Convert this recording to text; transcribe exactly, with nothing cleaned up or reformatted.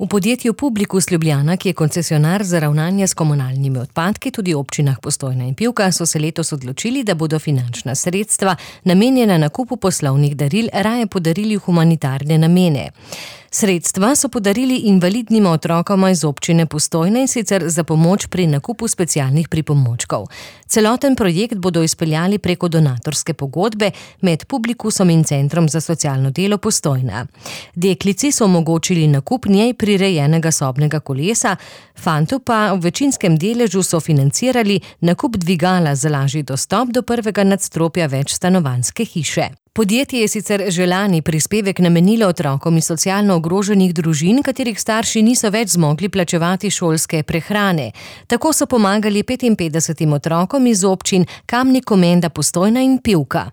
V podjetju Publikus Ljubljana, ki je koncesionar za ravnanje s komunalnimi odpadki, tudi občinah Postojna in Pivka, so se letos odločili, da bodo finančna sredstva, namenjena nakupu poslovnih daril, raje podarili v humanitarne namene. Sredstva so podarili invalidnim otrokom iz občine Postojna, in sicer za pomoč pri nakupu specialnih pripomočkov. Celoten projekt bodo izpeljali preko donatorske pogodbe med Publikusom in Centrom za socialno delo Postojna. Deklici so omogočili nakup njej prirejenega sobnega kolesa, fantu pa v večinskem deležu so financirali nakup dvigala za lažji dostop do prvega nadstropja večstanovanjske hiše. Podjetje je sicer že lani prispevek namenilo otrokom iz socialno ogroženih družin, katerih starši niso več zmogli plačevati šolske prehrane. Tako so pomagali petinpetdesetim otrokom iz občin Kamnik, Komenda, Postojna in Pivka.